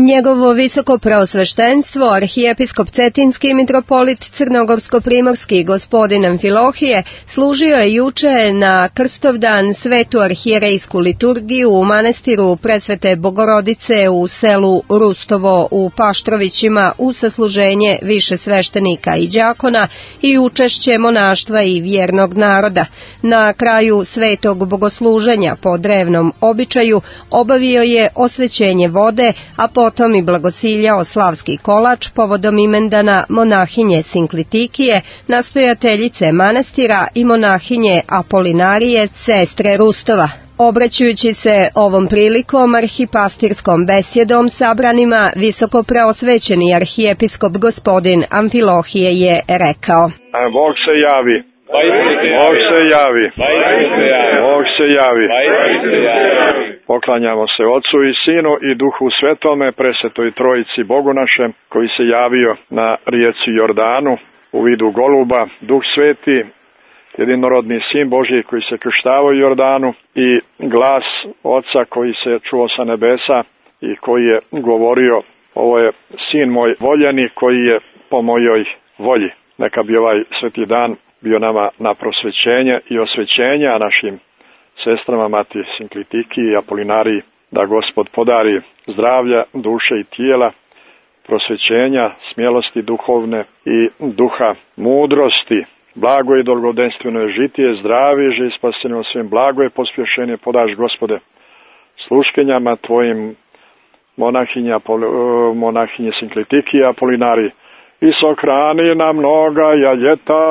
Njegovo visoko preosveštenstvo, arhijepiskop Cetinski i mitropolit Crnogorsko-primorski gospodin Amfilohije služio je juče na Krstovdan svetu arhijerejsku liturgiju u manastiru Presvete Bogorodice u selu Rustovo u Paštrovićima u sasluženje više sveštenika i đakona i učešće monaštva i vjernog naroda. Na kraju svetog bogosluženja po drevnom običaju obavio je osvećenje vode, a potom i blagosiljao slavski kolač povodom imendana monahinje Sinklitikije, nastojateljice manastira i monahinje Apolinarije, sestre Rustova. Obraćajući se ovom prilikom arhipastirskom besjedom sabranima, visoko preosvećeni arhijepiskop gospodin Amfilohije je rekao: Bog se javi. Bog se javi. Bog se javi. Poklanjamo se Otcu i Sinu i Duhu Svetome, presvetoj Trojici Bogu našem, koji se javio na rijeci Jordanu u vidu goluba, Duh Sveti, jedinorodni Sin Božji koji se krštavao u Jordanu i glas Oca koji se čuo sa nebesa i koji je govorio: ovo je Sin moj voljeni koji je po mojoj volji. Neka bi ovaj sveti dan bio nama na prosvećenje i osvećenje, a našim sestrama Mati Sinklitiki i Apolinariji da Gospod podari zdravlja, duše i tijela, prosvećenja, smjelosti duhovne i duha mudrosti. Blago i dolgodenstveno je žitije, zdravi, živ spasenje svim, blago je pospješenje podaš Gospode sluškenjama Tvojim monahinje Sinklitiki i Apolinariji i sohrani na mnoga ljeta.